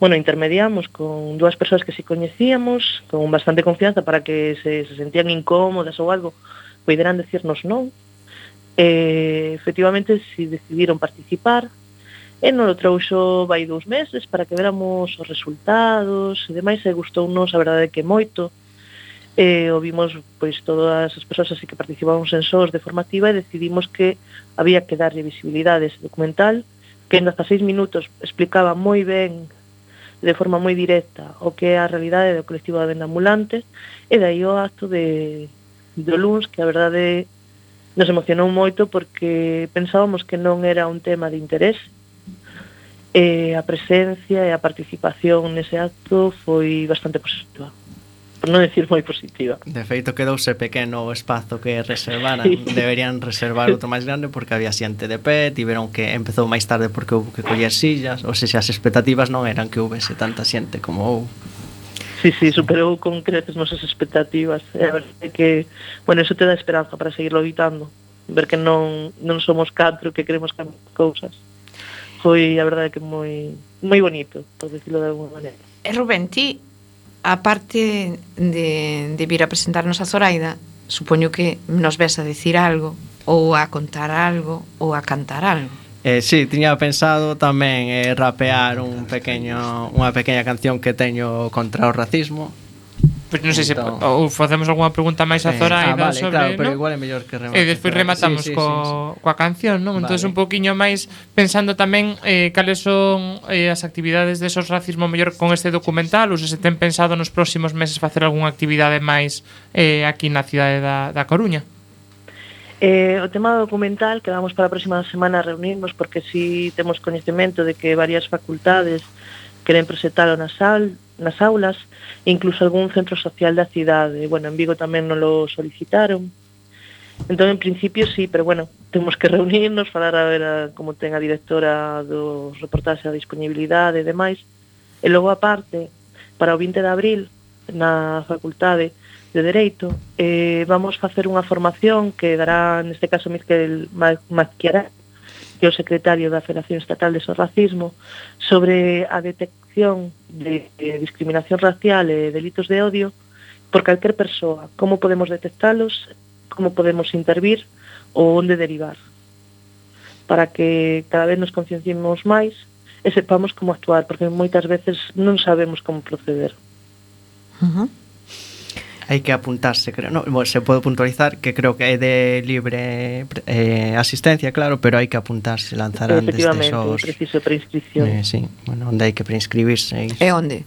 Speaker 10: bueno, intermediamos con dúas persoas que se coñecíamos, con bastante confianza para que se, se sentían incómodas ou algo, poderan decirnos non. E, efectivamente, si decidiron participar, e non lo trouxo vai dous meses para que veramos os resultados e demais, e gustounos, a verdade que moito. E ouvimos pois todas as persoas así que participamos en S O S de formativa e decidimos que había que darlle visibilidade a ese documental, que en dezaseis minutos explicaba moi ben, de forma moi directa, o que é a realidade do colectivo da venda ambulante, e dai o acto de do luns, que a verdade nos emocionou moito porque pensábamos que non era un tema de interés. E a presencia e a participación nese acto foi bastante positiva, por non decir moi positiva.
Speaker 6: De feito, quedouse pequeno o espazo que reservaran.
Speaker 10: Sí.
Speaker 6: Deberían reservar outro máis grande porque había xente de pé, tiveron que empezou máis tarde porque houve que coller sillas, ou seja, as expectativas non eran que houvese tanta xente como houve.
Speaker 10: Sí, sí, superou con creces nosas expectativas. E a verdade é que, bueno, eso te dá esperanza para seguirlo evitando, ver que non, non somos catro que queremos cambiar cousas. Foi, a verdade, que moi moi bonito, por decirlo de alguma maneira.
Speaker 2: E Rubén, ti, aparte de, de vir a presentarnos a Zoraida, supoño que nos ves a decir algo, ou a contar algo, ou a cantar algo.
Speaker 6: Eh, sí, tiña pensado tamén eh, rapear un pequeño, unha pequena canción que teño contra o racismo.
Speaker 4: Pois non sei se
Speaker 6: Entón-
Speaker 4: ou facemos algunha pregunta máis a
Speaker 6: Eh,
Speaker 4: Zoraida
Speaker 6: ah, vale,
Speaker 4: sobre,
Speaker 6: claro, pero
Speaker 4: non?
Speaker 6: igual é mellor que remate.
Speaker 4: E despois rematamos
Speaker 6: Sí, sí,
Speaker 4: co,
Speaker 6: sí, sí.
Speaker 4: coa canción, non? Entón
Speaker 6: Vale.
Speaker 4: un poquinho máis pensando tamén eh, cales son eh, as actividades de esos racismo mellor con este documental, ou se se ten pensado nos próximos meses facer algunha actividade máis eh, aquí na cidade da, da Coruña.
Speaker 10: Eh, o tema do documental, que vamos para a próxima semana a reunirnos, porque si temos coñecemento de que varias facultades queren presentarlo nas, al, nas aulas, e incluso algún centro social da cidade. Bueno, en Vigo tamén nos lo solicitaron. Entón, en principio, sí, pero bueno, temos que reunirnos, falar a ver a, como ten a directora dos reportaxes a disponibilidade e demais. E logo, aparte, para o vinte de abril, na Facultade de Dereito, eh, vamos facer unha formación que dará, neste caso, Miguel Mazquiará, que é o secretario da Federación Estatal de Sorracismo, sobre a detección de, de discriminación racial e delitos de odio por calquer persoa, como podemos detectalos, como podemos intervir ou onde derivar, para que cada vez nos concienciemos máis e sepamos como actuar, porque moitas veces non sabemos como proceder.
Speaker 2: Uh-huh.
Speaker 6: Hai que apuntarse, creo. No, bueno, se pode puntualizar que creo que é de libre eh, asistencia, claro, pero hai que apuntarse, lanzarán desde
Speaker 10: Efectivamente,
Speaker 6: esos...
Speaker 10: preciso preinscripción.
Speaker 6: Eh, sí, bueno, onde hai que preinscribirse.
Speaker 2: E onde?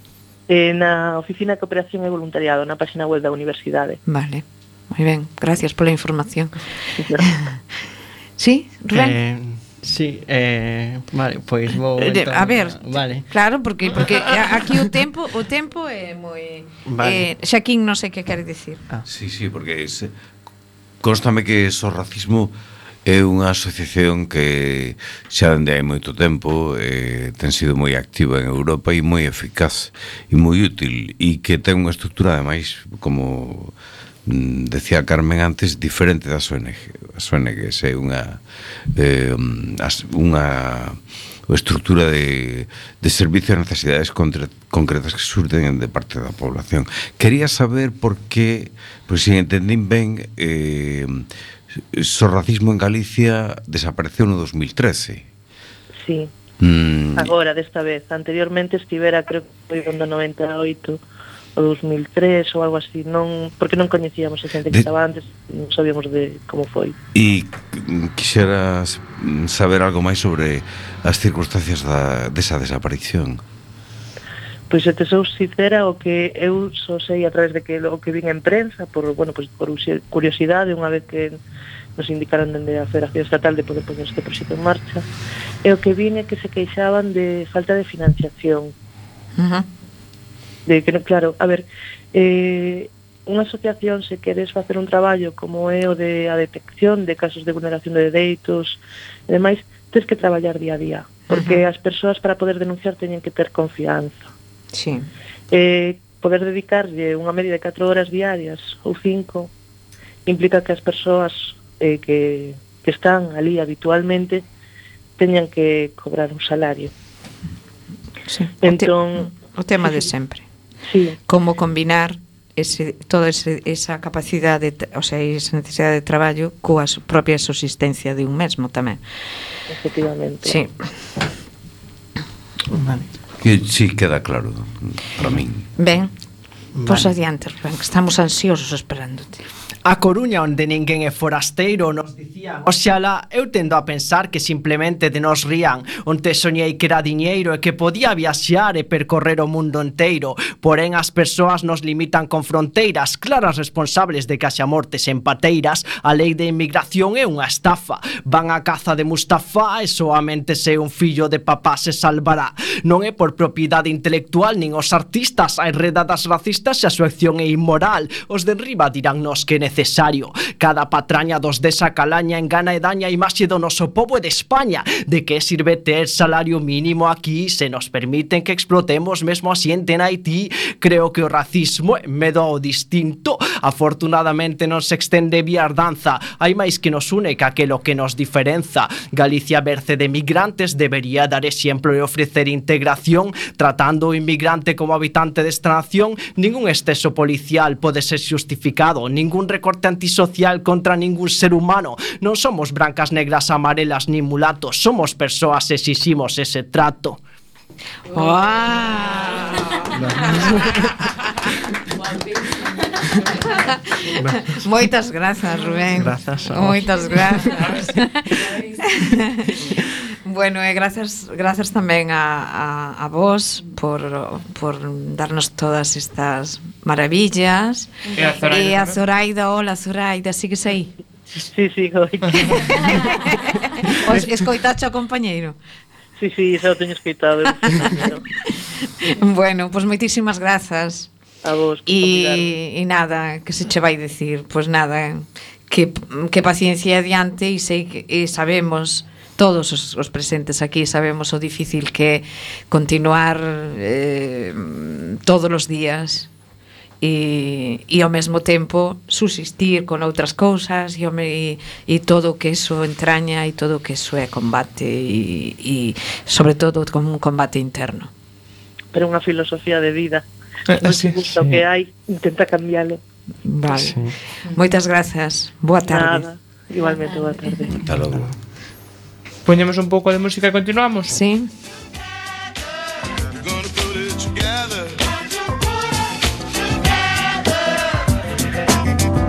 Speaker 10: Eh, na Oficina de Cooperación e Voluntariado, na página web da Universidade.
Speaker 2: Vale, moi ben, gracias pola información. Sí, Rubén?
Speaker 6: Eh, sí, eh, vale, pois vou
Speaker 2: Eh,
Speaker 6: entón,
Speaker 2: a ver,
Speaker 6: vale.
Speaker 2: claro, porque porque aquí o tempo, o tempo é moi
Speaker 7: Vale.
Speaker 2: eh, Xaquín non sei que quere dicir.
Speaker 6: Ah.
Speaker 7: Sí, sí, porque se, constame que Sorracismo é unha asociación que xa dende hai moito tempo eh, ten sido moi activa en Europa e moi eficaz e moi útil e que ten unha estrutura ademais como mm, decía Carmen antes diferente das O N G. As O N Gs é unha eh, as, unha estrutura de, de servicio a necesidades contra, concretas que surten de parte da población. Quería saber por que, pois se entendín ben, eh, Sorracismo en Galicia desapareceu no dos mil trece.
Speaker 10: Sí,
Speaker 7: Mm,
Speaker 10: agora desta vez. Anteriormente estivera, creo que foi no noventa e oito o dos mil tres ou algo así, non, porque non coñecíamos a xente que
Speaker 7: De-
Speaker 10: estaba antes, non sabíamos de como foi.
Speaker 7: E quixera saber algo máis sobre as circunstancias da, desa desaparición.
Speaker 10: Pois se te sou sincera, o que eu só sei a través de que o que vin en prensa, por, bueno, pois por curiosidade, unha vez que nos indicaron dende a Federación Estatal de poder poñer este proxecto en marcha, e o que vin é que se queixaban de falta de financiación.
Speaker 2: Uh-huh.
Speaker 10: De que, claro, a ver, eh, unha asociación, se queres facer un traballo como é o de a detección de casos de vulneración de dereitos e demais, tens que traballar día a día, porque uh-huh. as persoas para poder denunciar teñen que ter confianza.
Speaker 2: Sí.
Speaker 10: Eh, poder dedicarlle unha media de catro horas diarias ou cinco implica que as persoas eh, que, que están ali habitualmente teñan que cobrar un salario.
Speaker 2: Sí.
Speaker 10: Entón,
Speaker 2: o, te, o tema
Speaker 10: sí,
Speaker 2: de sempre.
Speaker 10: Sí.
Speaker 2: Como combinar ese, toda ese, esa capacidade, o sea, esa necesidade de traballo coa propia subsistencia de un mesmo tamén.
Speaker 10: Efectivamente.
Speaker 2: Sí. Vale.
Speaker 7: Que sí queda claro para min.
Speaker 2: Ben,
Speaker 6: Vale.
Speaker 2: Pois adiante, Rubén, que estamos ansiosos esperándote.
Speaker 6: A Coruña, onde ninguén é forasteiro, nos dicían: oxalá, eu tendo a pensar que simplemente de nos rían. Onte soñei que era diñeiro e que podía viaxear e percorrer o mundo enteiro. Porén, as persoas nos limitan con fronteiras claras, responsables de que haxa mortes en pateiras. A lei de inmigración é unha estafa. Van a caza de Mustafa e soamente se un fillo de papá se salvará. Non é por propiedade intelectual nin os artistas. Hai redadas racistas e a súa acción é inmoral. Os de enriba diránnos que necesario. Cada patraña dos desa calaña engana e daña a imaxe do noso pobo e de España. De que sirve ter salario mínimo aquí se nos permiten que explotemos mesmo a xente en Haití? Creo que o racismo é medo ao distinto. Afortunadamente non se extende vía danza. Hai máis que nos une que aquelo que nos diferenza. Galicia berce de migrantes, debería dar exemplo e ofrecer integración, tratando o inmigrante como habitante desta nación. Ningún exceso policial pode ser justificado, ningún recorte antisocial contra ningún ser humano. Non somos brancas, negras, amarelas nin mulatos. Somos persoas e exiximos ese trato.
Speaker 2: Wow. Moitas grazas, Rubén.
Speaker 6: Grazas a vos.
Speaker 2: Moitas grazas. Bueno, e grazas grazas tamén a, a, a vos por, por darnos todas estas maravillas.
Speaker 4: E a Zoraida,
Speaker 2: e a Zoraida, hola Zoraida, sigues aí?
Speaker 10: Sí, sí, oi.
Speaker 2: Os escoitacho ao compañeiro?
Speaker 10: Sí, sí, xa o teño escoitado.
Speaker 2: Bueno, pois pues moitísimas grazas.
Speaker 10: A vos.
Speaker 2: E, e nada, que se che vai dicir? Pois pues nada, que, que paciencia adiante e sei que e sabemos todos os, os presentes aquí sabemos o difícil que é continuar eh, todos os días e, e ao mesmo tempo subsistir con outras cousas e, e, e todo o que eso entraña e todo o que eso é combate e, e sobre todo con un combate interno.
Speaker 10: Pero unha filosofía de vida.
Speaker 4: Eh, sí,
Speaker 10: Justo
Speaker 4: sí.
Speaker 10: que hai, intenta cambialo.
Speaker 2: Vale.
Speaker 6: Sí.
Speaker 2: Moitas grazas. Boa tarde.
Speaker 10: Nada, igualmente boa tarde.
Speaker 7: Hasta logo.
Speaker 4: Poñemos un pouco de música e continuamos.
Speaker 2: Sí.
Speaker 11: Gonna put it together.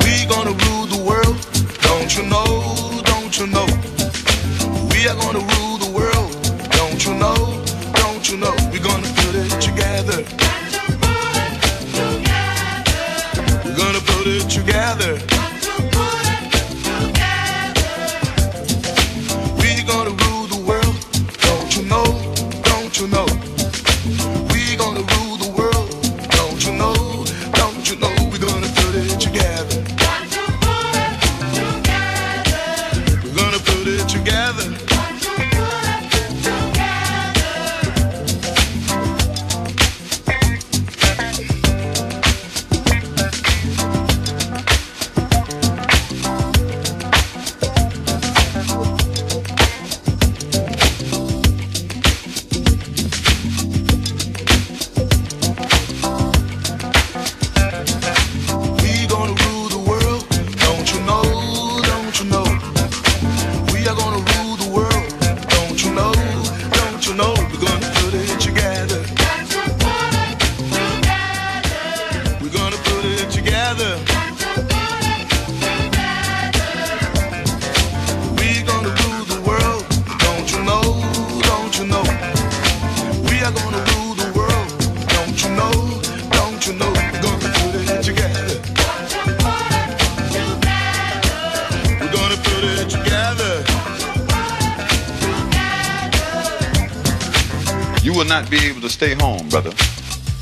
Speaker 11: We gonna rule the world. Don't you know? Don't you know? We are gonna rule the world. Don't you know? Don't you know? We're gonna put it together. We're gonna put it together. Gonna rule the world, don't you know, don't you know? We gonna rule the world, don't you know, don't you know? We're gonna put it together. We're gonna put it together.
Speaker 12: will not be able to stay home, brother.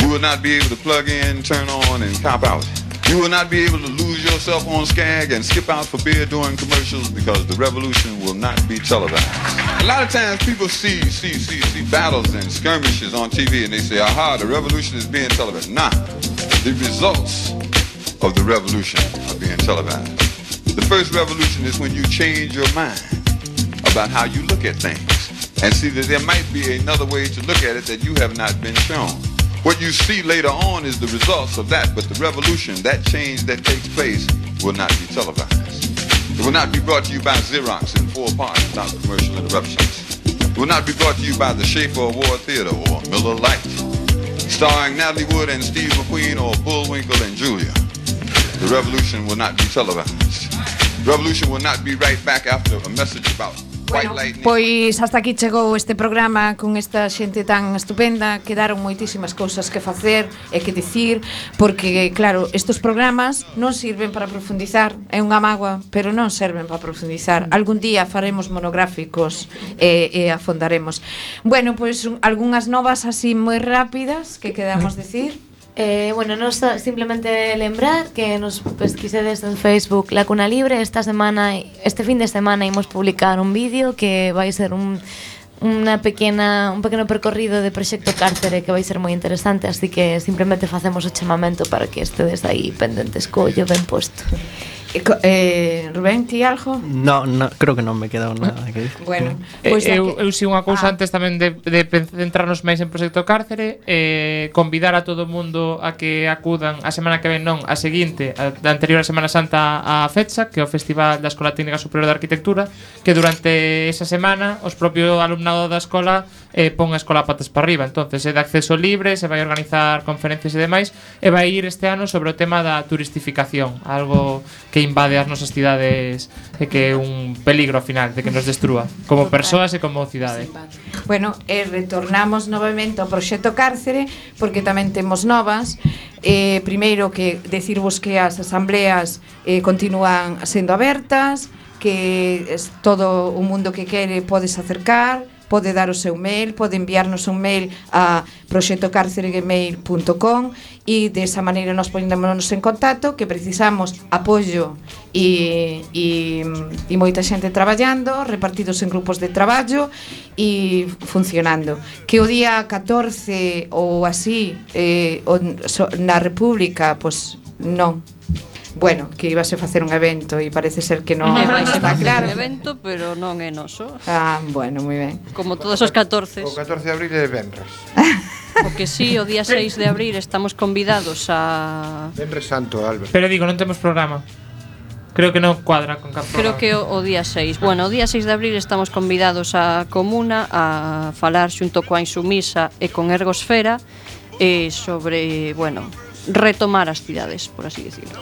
Speaker 12: You will not be able to plug in, turn on, and cop out. You will not be able to lose yourself on Skag and skip out for beer during commercials because the revolution will not be televised. A lot of times people see see see see battles and skirmishes on T V and they say, aha, the revolution is being televised. Nah, the results of the revolution are being televised. The first revolution is when you change your mind about how you look at things and see that there might be another way to look at it that you have not been shown. What you see later on is the results of that, but the revolution, that change that takes place, will not be televised. It will not be brought to you by Xerox in four parts without commercial interruptions. It will not be brought to you by the Schaefer Award Theater or Miller Lite, starring Natalie Wood and Steve McQueen or Bullwinkle and Julia. The revolution will not be televised. The revolution will not be right back after a message about
Speaker 2: Bueno, pois hasta aquí chegou este programa con esta xente tan estupenda. Quedaron moitísimas cousas que facer e que dicir, porque claro, estes programas non sirven para profundizar, é unha mágoa, pero non serven para profundizar. Algún día faremos monográficos e, e afondaremos. Bueno, pois algunhas novas así moi rápidas que quedamos decir.
Speaker 1: Eh, bueno, nos simplemente lembrar que nos pesquisedes en Facebook La Cuna Libre. Esta semana, este fin de semana imos publicar un vídeo que vai ser un unha pequena un pequeno percorrido de Proxecto Cárcere que vai ser moi interesante, así que simplemente facemos o chamamento para que estedes aí pendentes collo ben posto.
Speaker 2: Eh, Rubén, ti algo?
Speaker 6: No, no, creo que non me queda nada que dicir.
Speaker 2: Bueno,
Speaker 4: pois pues eu, eu si unha cousa ah. antes tamén de, de centrarnos máis en Proxecto Cárcere, eh, convidar a todo o mundo a que acudan a semana que ven, non, a seguinte, a, a anterior a Semana Santa a FETSA, que é o Festival da Escola Técnica Superior de Arquitectura, que durante esa semana os propio alumnado da escola eh, pon a escola patas para arriba. Entonces é de acceso libre, se vai organizar conferencias e demais, e vai ir este ano sobre o tema da turistificación, algo que invade as nosas cidades e que é un peligro ao final de que nos destrúa como persoas e como cidade.
Speaker 2: Bueno, e retornamos novamente ao Proxecto Cárcere porque tamén temos novas. Eh, primeiro que decirvos que as asambleas eh, continúan sendo abertas, que es todo o mundo que quere podes acercar, pode dar o seu mail, pode enviarnos un mail a proxecto cárcere gmail punto com e desa maneira nos poñémonos en contacto, que precisamos apoio e, e, e moita xente traballando, repartidos en grupos de traballo e funcionando. Que o día catorce ou así eh, o, so, na República, pois non. Bueno, que ibase a facer un evento e parece ser que non está claro.
Speaker 5: Un evento, pero non é noso.
Speaker 2: Ah, bueno, moi ben.
Speaker 5: Como todos os catorce.
Speaker 13: O catorce de abril é venres.
Speaker 5: O que sí, o día seis de abril estamos convidados a...
Speaker 13: Venres Santo, Álvaro.
Speaker 4: Pero digo, non temos programa. Creo que non cuadra con cap programa.
Speaker 5: Creo que o, o día seis. Bueno, o día seis de abril estamos convidados a Comuna a falar xunto coa Insumisa e con Ergosfera e sobre, bueno, retomar as cidades, por así decirlo.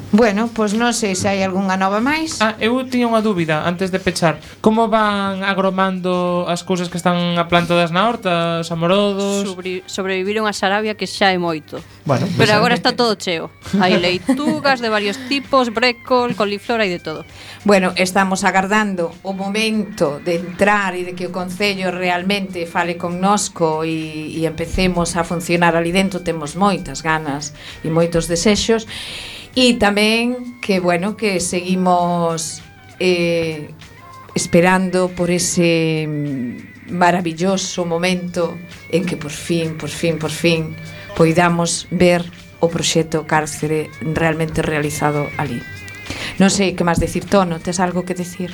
Speaker 2: Bueno, pois non sei se hai algunha nova máis.
Speaker 4: Ah, eu tiña unha dúbida antes de pechar. Como van agromando as cousas que están aplantadas na horta, os amorodos?
Speaker 5: Sobre, sobreviviron a Sarabia, que xa é moito.
Speaker 4: Bueno,
Speaker 5: pero pues agora está todo cheo. Hai leitugas de varios tipos, brécol, coliflor, hai de todo.
Speaker 2: Bueno, estamos agardando o momento de entrar e de que o Concello realmente fale connosco e, e empecemos a funcionar ali dentro. Temos moitas ganas e moitos desexos. E tamén que, bueno, que seguimos eh, esperando por ese maravilloso momento en que por fin, por fin, por fin poidamos ver o Proxecto Cárcere realmente realizado ali. Non sei que máis decir, Tono, tes algo que decir?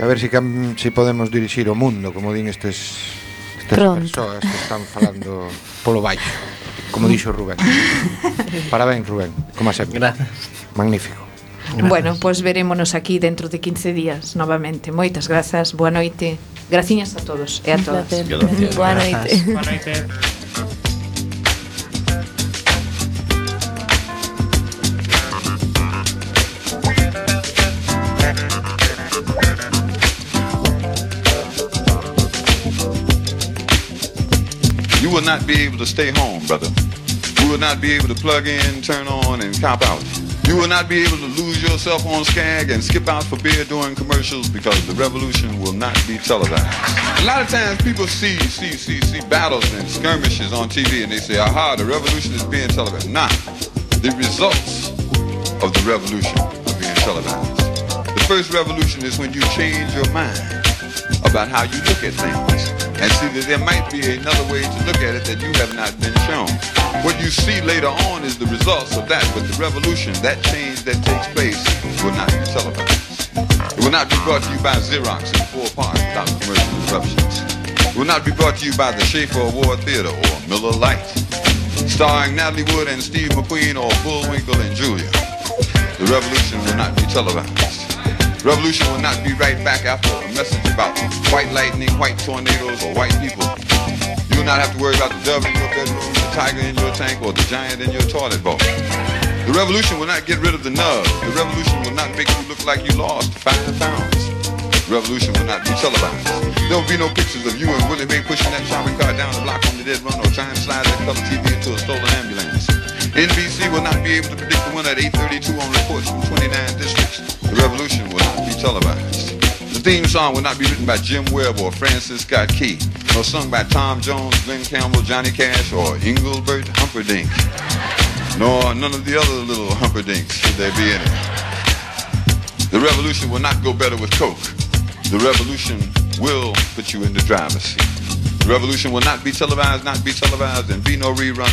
Speaker 13: A ver se si, si podemos dirixir o mundo, como din estes, estas persoas que están falando polo baixo. Como dixo Rubén. Parabéns, Rubén, como sempre.
Speaker 6: Gracias.
Speaker 13: Magnífico.
Speaker 2: Gracias. Bueno, pois pues verémonos aquí dentro de quince días novamente. Moitas grazas, boa noite. Graciñas a todos e a todas.
Speaker 1: Boa noite.
Speaker 4: Boa noite.
Speaker 12: You will not be able to stay home, brother. You will not be able to plug in, turn on, and cop out. You will not be able to lose yourself on Skag and skip out for beer during commercials because the revolution will not be televised. A lot of times people see see see see battles and skirmishes on T V and they say, aha, the revolution is being televised. Nah, the results of the revolution are being televised. The first revolution is when you change your mind about how you look at things and see that there might be another way to look at it that you have not been shown. What you see later on is the results of that, but the revolution, that change that takes place, will not be televised. It will not be brought to you by Xerox in four parts without commercial interruptions. It will not be brought to you by the Schaefer Award Theater or Miller Lite, starring Natalie Wood and Steve McQueen or Bullwinkle and Julia. The revolution will not be televised. Revolution will not be right back after a message about white lightning, white tornadoes, or white people. You will not have to worry about the dove in your bedroom, the tiger in your tank, or the giant in your toilet bowl. The revolution will not get rid of the nub. The revolution will not make you look like you lost five pounds. The revolution will not be televised. There will be no pictures of you and Willie Mae pushing that shopping cart down the block on the dead run or trying to slide that color T V into a stolen ambulance. N B C will not be able to predict the winner at eight thirty-two on reports from twenty-nine districts. The revolution will not be televised. The theme song will not be written by Jim Webb or Francis Scott Key, nor sung by Tom Jones, Glenn Campbell, Johnny Cash, or Engelbert Humperdinck, nor none of the other little Humperdinks should there be in it. The revolution will not go better with Coke. The revolution will put you in the driver's seat. The revolution will not be televised, not be televised, and be no rerun.